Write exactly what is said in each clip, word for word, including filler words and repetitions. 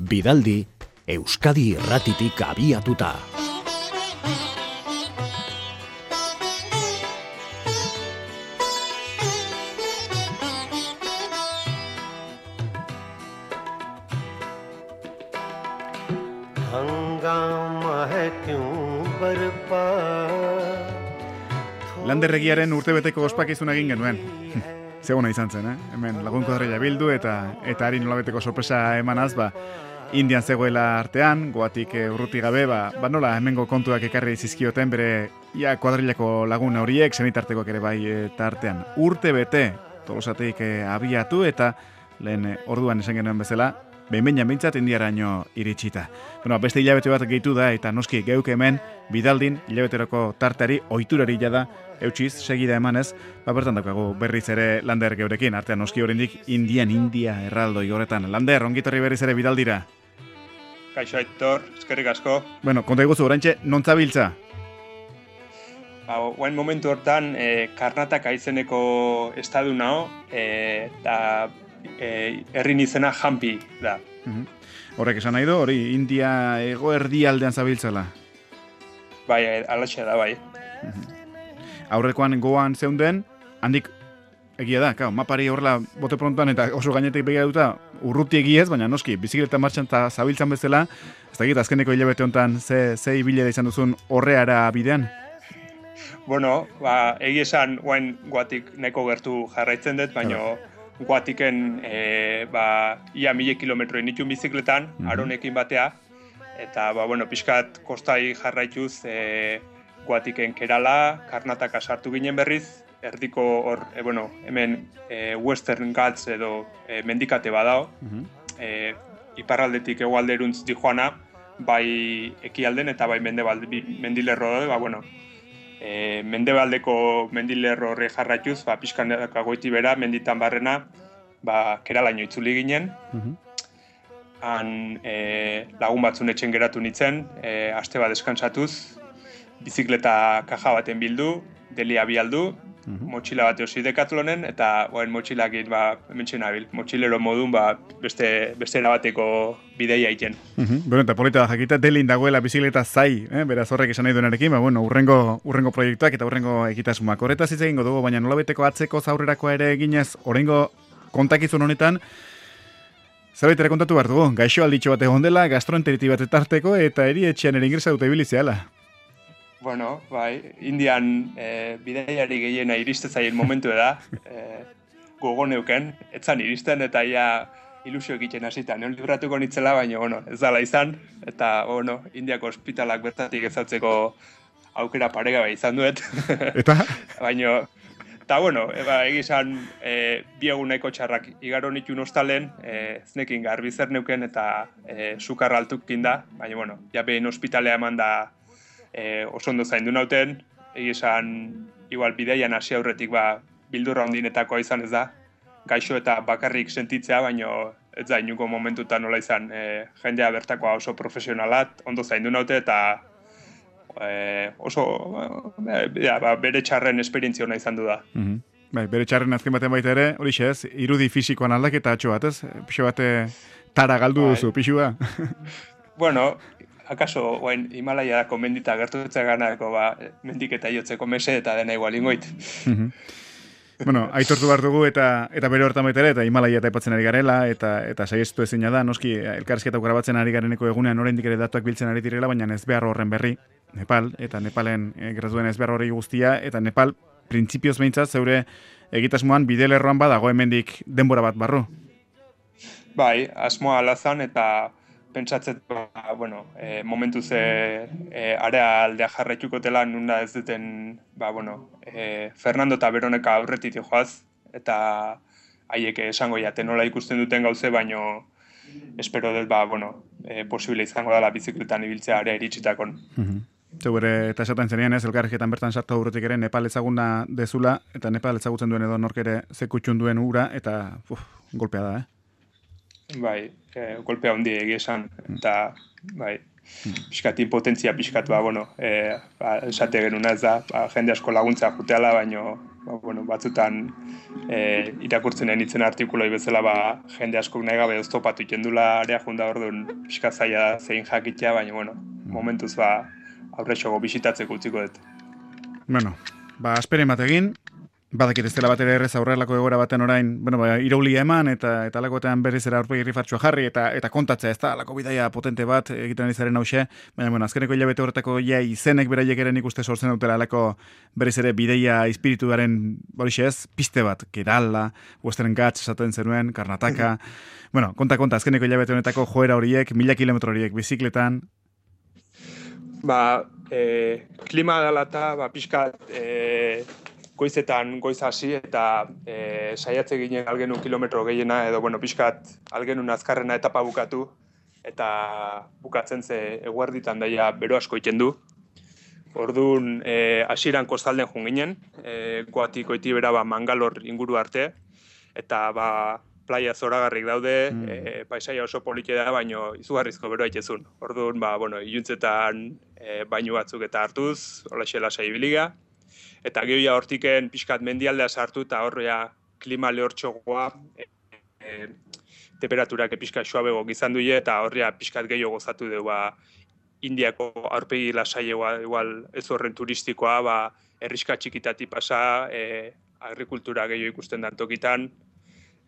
Bidaldi, Euskadi Irratitik abiatuta. Landerregiaren urtebeteko ospakizuna egin genuen. Zegona izan zen, eh? Hemen lagun kuadrilla bildu eta eta hari nolabeteko sorpresa emanaz, ba, Indian zegoela artean, goatik e, urruti gabe, ba, ba nola hemengo kontuak ekarri zizkioten bere ja kuadrillako lagun horiek, senitartekoak ere bai eta artean. Urte bete, Tolosatik e, abiatu eta lehen e, orduan esan genuen bezala, behin-behinan bintzat indiaraino iritsita. Bueno, beste hilabete bat gehitu da eta noski geuk hemen Bidaldin hilabeteroko tarteari ohiturari jada eutxiz segida emanez, ba bertan daukagu berriz ere Lander geurekin, artean noski oraindik Indian India erraldoi horretan. Lander, ongitorri berriz ere Bidaldira. Kaixo Aitor, eskerrik asko. Bueno, konta iguzu, oraintxe, non zabiltza? Ba, oain momentu hortan, e, Karnatak aizeneko estadu nao, eta e, herrin izena Hampi da. Uh-huh. Horrek esan nahi du, hori India ego erdialdean zabiltzala? Bai, alaxe da, bai. Uh-huh. Aurrekoan goan zeunden, handik egia da, kao, mapari horrela bote prontuan eta oso gainetik begiratuta urruti egiez, baina noski, bizikleta martxan eta zabiltzan bezala, ez da egit, azkeneko hilabete honetan ze, ze ibile da izan duzun horreara bidean? Bueno, ba, egia esan, guain guatik neko gertu jarraitzen dut, baina guatiken e, ba, ia mile kilometroin itun bizikletan, mm-hmm. aronekin batea, eta, ba, bueno, pixkat kostai jarraituz, e, guatiken Kerala, Karnatak sartu ginen berriz, erdiko hor, e, bueno, hemen e, Western Ghats edo e, mendikate badao, mm-hmm. e, iparraldetik hegoalderuntz dijoana, bai ekialden eta bai mendebalde, mendilerro da, ba, bueno, e, mendebaldeko mendilerro horre jarraituz, ba, pixkanak goiti bera, menditan barrena, ba, Keralaino itzuli ginen, mm-hmm. han e, lagun batzun etxen geratu nintzen, e, aste bat deskantsatuz, bizikleta kaja baten bildu, delia bialdu, mm-hmm. motxila bat eosi Decathlonen, eta oen motxilakit, ba, hementxe nabil, motxilero modun, ba, beste, beste erabateko bideia egiten. Mm-hmm. Bueno, eta polita da jakita, delin dagoela bizikleta zai, eh? Beraz horrek esan nahi duenarekin, ba, bueno, urrengo, urrengo proiektuak eta urrengo ekitasumak. Horretaz hitz egingo dugu, baina nolabeteko atzeko zaurrerako ere eginez, horrengo kontakizun honetan, zerbait ere kontatu behar dugu, gaixo alditxo bat egon dela, gastroenteriti bat etarteko, eta erietxean ere ingresa dute bilizeala. Bueno, bai, Indian e, bidaiari gehiena iriste zaien momentu da, e, gogo neuken, etzan iristen eta ia ilusio egiten hasita. Neon libratuko nitzela, baina, bueno, ez dala izan, eta, bueno, Indiako ospitalak bertatik ezautzeko aukera paregabe izan duet. Eta? Baina, eta, bueno, eba, egizan e, bi eguneko txarrak igaro nituen ostalen, e, znekin garbi zer neuken eta e, sukar altukin da, baina, bueno, ja behin ospitalea eman da, E, oso ondo zaindu nauten, egizan, igual bideian hasi aurretik ba, bildurra ondinetakoa izan ez da, gaixo eta bakarrik sentitzea, baina ez da inuko momentutan nola izan, e, jendea bertakoa oso profesionalat, ondo zaindu naute eta e, oso e, ja, ba, bere txarren esperientzia hona izan du da. Mm-hmm. Bai, bere txarren azken baten baita ere, hori ez, irudi fisikoan aldaketa atxo bat, ez? Pixo bate tara galdu duzu, pixua? Bueno, akaso, oain, Himalaiako mendita gertutzea ganako, ba, mendik eta jotzeko mese eta dena igual ingoit. Mm-hmm. Bueno, aitortu behar dugu eta eta bere hortan baita ere, eta Himalaia eta epatzen ari garela, eta eta saiestu ezina da, noski, elkarrizketa grabatzen ari gareneko egunean oraindik ere datuak biltzen ari direla, baina ez behar horren berri, Nepal, eta Nepalen e, graduen ez behar horri guztia, eta Nepal, printzipioz behintzat, zeure egitasmoan bidelerroan badago hemendik denbora bat barru. Bai, asmoa alazan eta pentsatzen, ba, bueno, e, momentu ze e, area aldea jarraituko dela nunda ez duten, ba, bueno, e, Fernando eta Veroneka aurretik joaz, eta haiek esango jaten nola ikusten duten gauze, baino espero dut, ba, bueno, e, posible izango dela bizikletan ibiltzea area iritsitakoan. Mm-hmm. Zure, eta esaten zenean ez, elkarrizketan bertan sartu aurretik ere Nepal ezaguna dezula, eta Nepal ezagutzen duen edo nork ere zekutxun duen ura, eta uf, golpea da, eh? Bai, e, golpea hondi egia esan, eta bai, pixkat impotentzia pixkat, ba, bueno, e, ba, esate genuna ez da, ba, jende asko laguntza juteala, baino, ba, bueno, batzutan e, irakurtzen enitzen artikuloi bezala, ba, jende askok nahi gabe oztopatu ikendula area junda orduan pixkat zaila zein jakitea, baina, bueno, momentuz, ba, aurrexogo bisitatzeko utziko dut. Bueno, ba, asperen bat egin, badakit ez dela bat ere errez aurrelako egoera baten orain, bueno, ba, iraulia eman, eta eta alakoetan berriz era aurpegi rifartxoa jarri, eta eta kontatzea, ez da, alako bidaia potente bat egiten ari zaren hause, baina, bueno, azkeneko hilabete horretako ja izenek beraiek ere nik uste sortzen dutela alako berriz ere bidaia espirituaren, horixe ez, piste bat, Kerala, Western Ghats esaten zenuen, Karnataka, bueno, konta, konta, azkeneko hilabete honetako joera horiek, mila kilometro horiek, bizikletan. Ba, e, klima dela eta, ba, pixkat, e, goizetan goiz hasi eta e, saiatze ginen algenun kilometro gehiena edo bueno, pixkat algenun azkarrena etapa bukatu eta bukatzen ze eguerditan daia bero asko iten du. Orduan e, hasieran kostalden joan ginen, e, goatik goiti bera ba, Mangalor inguru arte eta ba, playa zoragarrik daude, mm. e, paisaia oso polite da, baino izugarrizko beroa itezun. Orduan, ba, bueno, iluntzetan e, bainu batzuk eta hartuz, holaxe lasai biliga. Eta gehoia hortiken pixkat mendialdea sartu eta horrea klima lehortxogoa e, e, temperaturak pixkat suabego gizan duie eta horrea pixkat gehiago gozatu du ba, Indiako aurpegi lasaiegoa igual ez horren turistikoa ba, herriska txikitati pasa e, agrikultura gehiago ikusten dan tokitan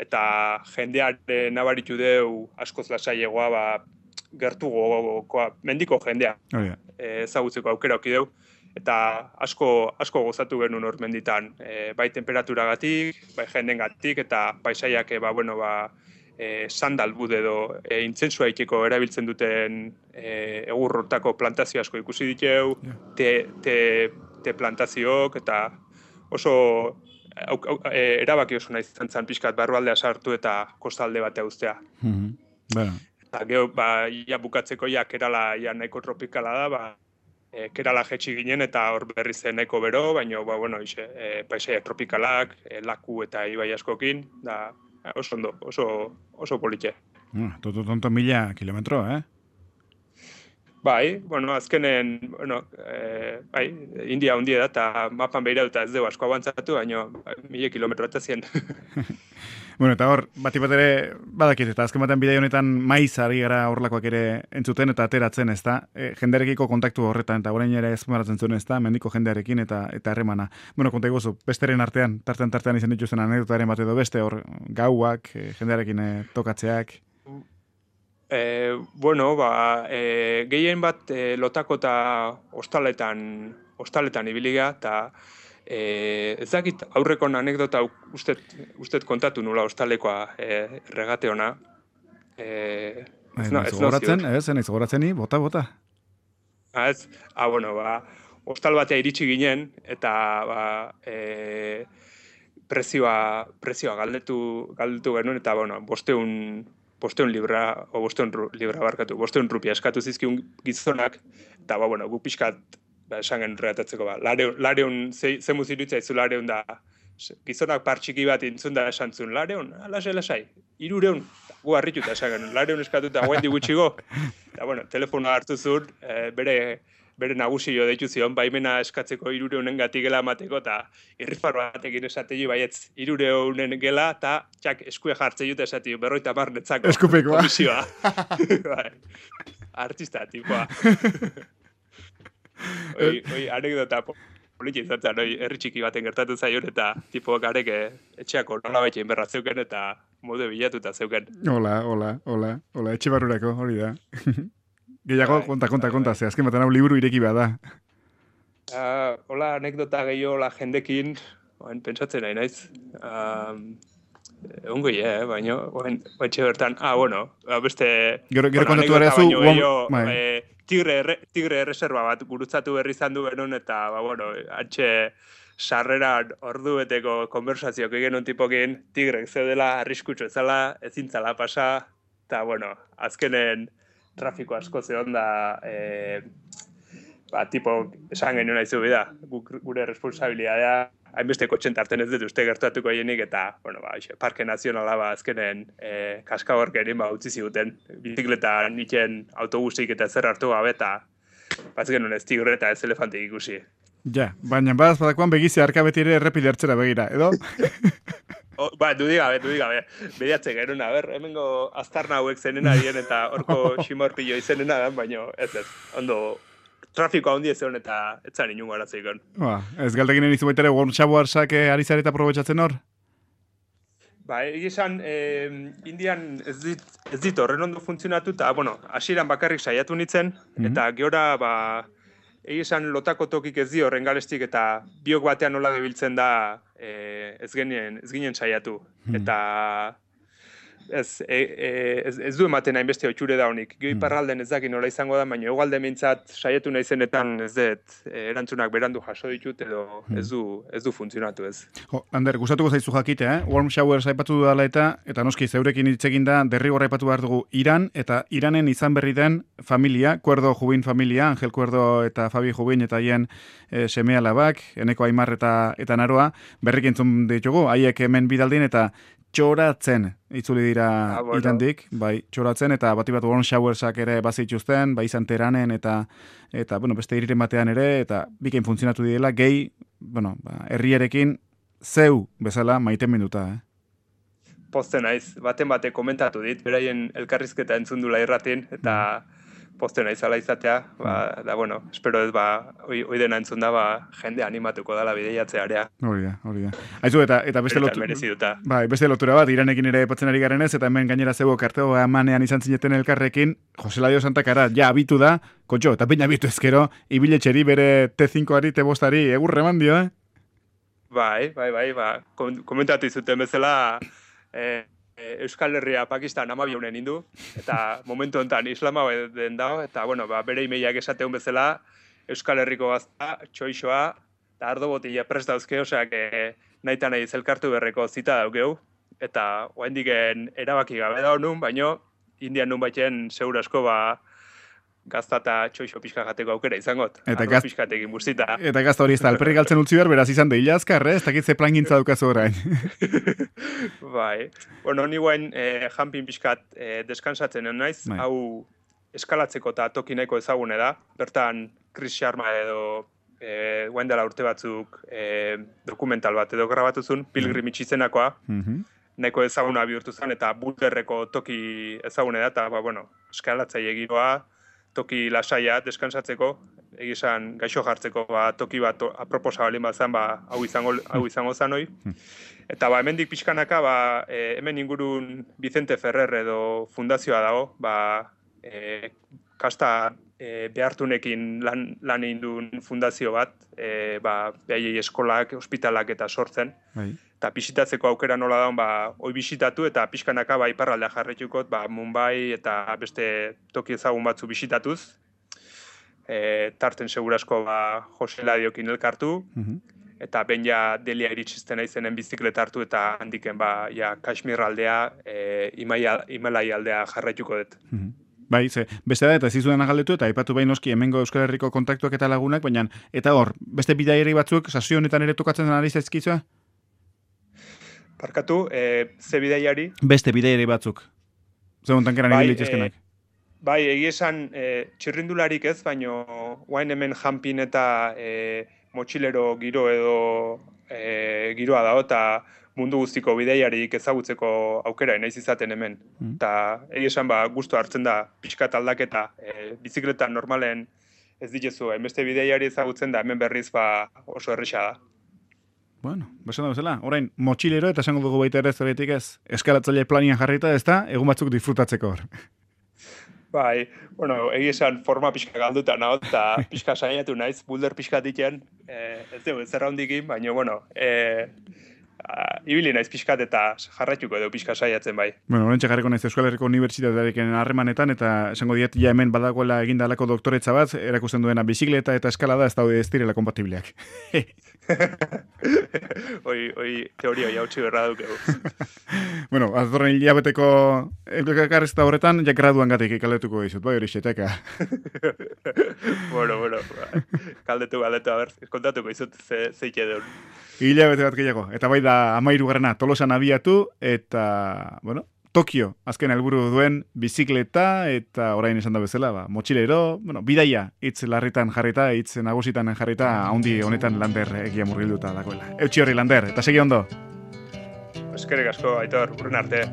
eta jendearen nabaritu deu askoz lasaiegoa ba, gertu gogokoa, mendiko jendea oh, yeah. e, ezagutzeko aukera oki deu. Eta asko asko gozatu genuen hor menditan, e, bai temperaturagatik, bai jendengatik eta paisaiak ba bueno ba e, sandalbud edo e, intzensua iteko erabiltzen duten e, egurrotako plantazio asko ikusi diteu, yeah. te, te, te plantazioak eta oso au, au, e, erabaki oso nahi izan pixkat barrualdea sartu eta kostalde batea uztea. Mm-hmm. Bueno. Eta gero ba ia bukatzeko ja Kerala ja nahiko tropikala da, ba E, Kerala jetxi ginen eta hor berri zen nahiko bero, baina ba, bueno, ixe, e, paisaia tropikalak, e, laku eta ibai askokin, da oso ondo, oso, oso politxe. Mm, tonto, tonto mila kilometro, eh? Bai, bueno, azkenen, bueno, e, bai, India hundi da, eta mapan behira dut ez dugu asko abantzatu, baina mila kilometro eta zien. Bueno, eta hor, bati bat ere, badakit, eta azken batean bidei honetan maiz ari gara horlakoak ere entzuten eta ateratzen, ez da? E, jendearekiko kontaktu horretan, eta orain ere ezmaratzen zuen, ez da? Mendiko jendearekin eta eta harremana. Bueno, konta iguzu, besteren artean, tartean tartean izan dituzten anekdotaren bat edo beste, hor, gauak, e, jendearekin e, tokatzeak. E, bueno, ba, e, gehien bat e, lotako eta ostaletan, ostaletan ibiliga, eta E, ez dakit aurreko anekdota ustet, ustet kontatu nula ostalekoa e, regate ona. E, ez no, ez gogoratzen, ez, ez gogoratzen ni, bota, bota. Ah, ez, ah, bueno, ba, ostal batea iritsi ginen, eta ba, e, prezioa, prezioa galdetu, galdetu genuen, eta bueno, bosteun, bosteun libra, o bosteun libra barkatu, bosteun rupia eskatu zizkiun gizonak, eta ba, bueno, gu pixkat, ba, esan gen regatatzeko, ba, lareun, lareun ze, ze muzirutza izu lareun da, gizonak partxiki bat intzun da esan zuen, lareun, lasai, lasai, irureun, gu harrituta esan gen, lareun eskatuta, guendi gutxigo, eta bueno, telefonoa hartu zuen, e, bere, bere nagusio deitu zion, baimena eskatzeko irureunen gatik gela amateko, eta irrifar batekin esatei baietz irureunen gela, eta txak eskue jartze jute esatei, berroita mar netzako. Eskupekoa. Komisioa. Artista, tipoa. Oi, oi, anekdota politxe izan zen, oi, herri txiki baten gertatu zaion, eta tipo garek etxeako nola baitxein berra zeuken, eta modu bilatuta zeuken. Hola, hola, hola, hola, etxe barrurako, hori da. Gehiago, konta, konta, konta, ze azken baten hau liburu ireki bada. Uh, hola, anekdota gehiago, hola, jendekin, oen, pentsatzen nahi naiz. Um, Ongo eh, baina, oen, etxe bertan, ah, bueno, beste... Gero, gero bueno, kontatu ere zu... Baino, eh, tigre, erre, tigre erreserba bat gurutzatu berri izan du genuen, eta, ba, bueno, antxe sarreran ordu beteko konversazioak egin un tipokin, tigrek zeudela, arriskutsu ezala, ezintzala pasa, eta, bueno, azkenen trafiko asko zehon da, eh, ba, tipo, esan genuen nahi zu bida, gure responsabilidadea, hainbeste kotxen tarten ez dut uste gertatuko hienik, eta, bueno, ba, Parke Nazionala ba, azkenen e, kaskagorkerin ba, utzi ziguten, bizikleta nitzen autobusik eta zer hartu gabe, eta baz genuen ez tigre eta ez elefantik ikusi. Ja, baina badaz badakoan begizia harka beti ere errepide hartzera begira, edo? O, ba, dudik gabe, dudik gabe. Bediatzen genuen, a ber, hemengo aztarna hauek zenena dien eta horko ximorpillo izenena dan, baina ez ez, ondo trafikoa handi ez egon eta etzan inungo arazoik on. Ba, ez galdeginen izu baita ere Wormshawarsak ari zareta aprobetxatzen hor? Ba, egizan, eh, Indian ez dit, ez dit horren ondo funtzionatu, eta, bueno, hasieran bakarrik saiatu nintzen, mm-hmm. eta geora, ba, egizan lotako tokik ez di horren galestik, eta biok batean nola gebiltzen da eh, ez, genien, ez ginen saiatu. Mm-hmm. Eta ez, e, e, ez, ez du ematen hainbeste otxure da honik. Gio iparralden ez dakin nola izango da, baina egualde mintzat saiatu naizenetan ez dut e, erantzunak berandu jaso ditut, edo ez du, ez du funtzionatu ez. Jo, Ander, gustatuko zaizu jakite, eh? Wormshowers aipatu dudala eta, eta noski zeurekin hitz egin da, derrigorra aipatu behar dugu Iran, eta Iranen izan berri den familia, Kuerdo Jubin familia, Angel Kuerdo eta Fabi Jubin, eta haien e, seme alabak, Eneko Aimar eta, eta Naroa, berrik entzun ditugu, haiek hemen bidaldin, eta txoratzen itzuli dira ah, bueno. Irandik, bai, txoratzen, eta bati bat Wormshowersak ere bazituzten, bai izan Teranen, eta, eta bueno, beste hiriren batean ere, eta bikain funtzionatu direla, gehi, bueno, ba, herriarekin zeu bezala maite minuta, eh? Poste naiz, baten bate komentatu dit, beraien elkarrizketa entzundula irratin, eta poste naiz ala izatea, ba, da, bueno, espero ez, ba, oi, oi dena entzun da, ba, jende animatuko dala bideiatzearea. Hori da, hori da. Aizu, eta, eta beste, lotu, bai, beste lotura bat, Iranekin ere patzen ari garen ez, eta hemen gainera zego karteo emanean izan zineten elkarrekin, Jose Ladio Santakara, ja, abitu da, kotxo, eta peina abitu ezkero, ibiletxeri bere T cincoari, T bostari, egurre eman dio, eh? Bai, bai, bai, ba, komentatu izuten bezala, eh, Euskal Herria Pakistan amabiunen indu, eta momentu honetan islama den dago, eta bueno, ba, bere imeiak esateun bezala, Euskal Herriko gazta, txoixoa, eta ardo botila prest dauzke, oseak nahi eta nahi zelkartu berreko zita daukeu, eta oaindiken erabaki gabe da honun, baino Indian nun baiten segura asko ba, gazta eta txoixo pixka jateko aukera izangot. Eta gaz... pixkatekin bustita. Eta gazta hori ez da, alperrik galtzen utzi behar, beraz izan da hila azkar, eh? Ez dakit ze plan gintza dukazu orain. Bai. Bueno, ni guen eh, jampin pixkat eh, deskansatzen naiz, bai. Hau eskalatzeko eta toki nahiko ezagune da. Bertan, Chris Sharma edo eh, guen dela urte batzuk eh, dokumental bat edo grabatuzun, Pilgrim itxizenakoa. Mm-hmm. Nahiko ezaguna bihurtu zen, eta bulterreko toki ezagune da, eta, ba, bueno, eskalatzaile giroa, toki lasaia deskansatzeko, egizan gaixo jartzeko ba, toki bat aproposa balin bat zen, ba, hau izango, hau izango zan hoi. Eta ba, hemendik pixkanaka, ba, e, hemen ingurun Vicente Ferrer edo fundazioa dago, ba, e, kasta e, behartunekin lan, lan egin duen fundazio bat, e, ba, behaiei eskolak, ospitalak eta sortzen. Bai. Eta bisitatzeko aukera nola daun, ba, hoi bisitatu eta pixkanaka ba, iparraldea jarretukot, ba, Mumbai eta beste toki ezagun batzu bisitatuz. E, tarten segurasko ba, Jose Ladiokin elkartu, mm-hmm. eta ben ja Delia iritsizten aizenen bizikleta hartu eta handiken ba, ja, Kashmir aldea, e, Himalai aldea jarretuko dut. Mm-hmm. Bai, ze, beste da, eta ez izudena galdetu, eta aipatu behin noski hemengo Euskal Herriko kontaktuak eta lagunak, baina, eta hor, beste bidaiari batzuk, sasio honetan ere tokatzen den ari zaizkizua? Parkatu, e, ze bidaiari? Beste bidaiari batzuk. Zer montan keran bai, egin e, bai, egia esan, e, txirrindularik ez, baino, guain hemen jampin eta e, motxilero giro edo e, giroa dago, eta mundu guztiko bidaiarik ezagutzeko aukera naiz izaten hemen. Eta mm. egia esan, ba, gustu hartzen da, pixkat aldaketa, e, bizikleta normalen ez ditezu, hainbeste bidaiari ezagutzen da, hemen berriz ba, oso erresa da. Bueno, besan da bezala, orain, motxilero eta esango dugu baita ere zoretik ez, eskalatzaile planian jarrita ez da, egun batzuk disfrutatzeko hor. Bai, bueno, egi esan forma pixka galduta naho, eta pixka saiatu naiz, bulder pixka diken, eh, ez dugu, ez zerra hondikin, baina, bueno, eh, ibili naiz pixkat eta jarraituko edo pixka saiatzen bai. Bueno, horrentxe jarriko naiz Euskal Herriko Unibertsitatearekin harremanetan, eta esango diet, ja hemen badagoela egindalako doktoretza bat, erakusten duena bizikleta eta eskalada ez daude ez direla kompatibleak. Oi, oi, teoria hoi hautsi berra dukegu. Bueno, aztorren hilabeteko elkarrezta horretan, jak graduan gatik ikaldetuko dizut, bai hori xeteka. Bueno, bueno, ba, kaldetu, kaldetu, a ber, kontatuko dizut ze, zeike deun. Hilabete bat gehiago, eta bai da amairu garrana Tolosan abiatu, eta, bueno, Tokio, azken helburu duen bizikleta, eta orain esan da bezala, ba, motxilero, bueno, bidaia, hitz larritan jarrita, hitz nagusitan jarrita, haundi honetan Lander egia murgilduta dagoela. Eutxi horri Lander, eta segi ondo. Eskerrik asko, Aitor, urren arte.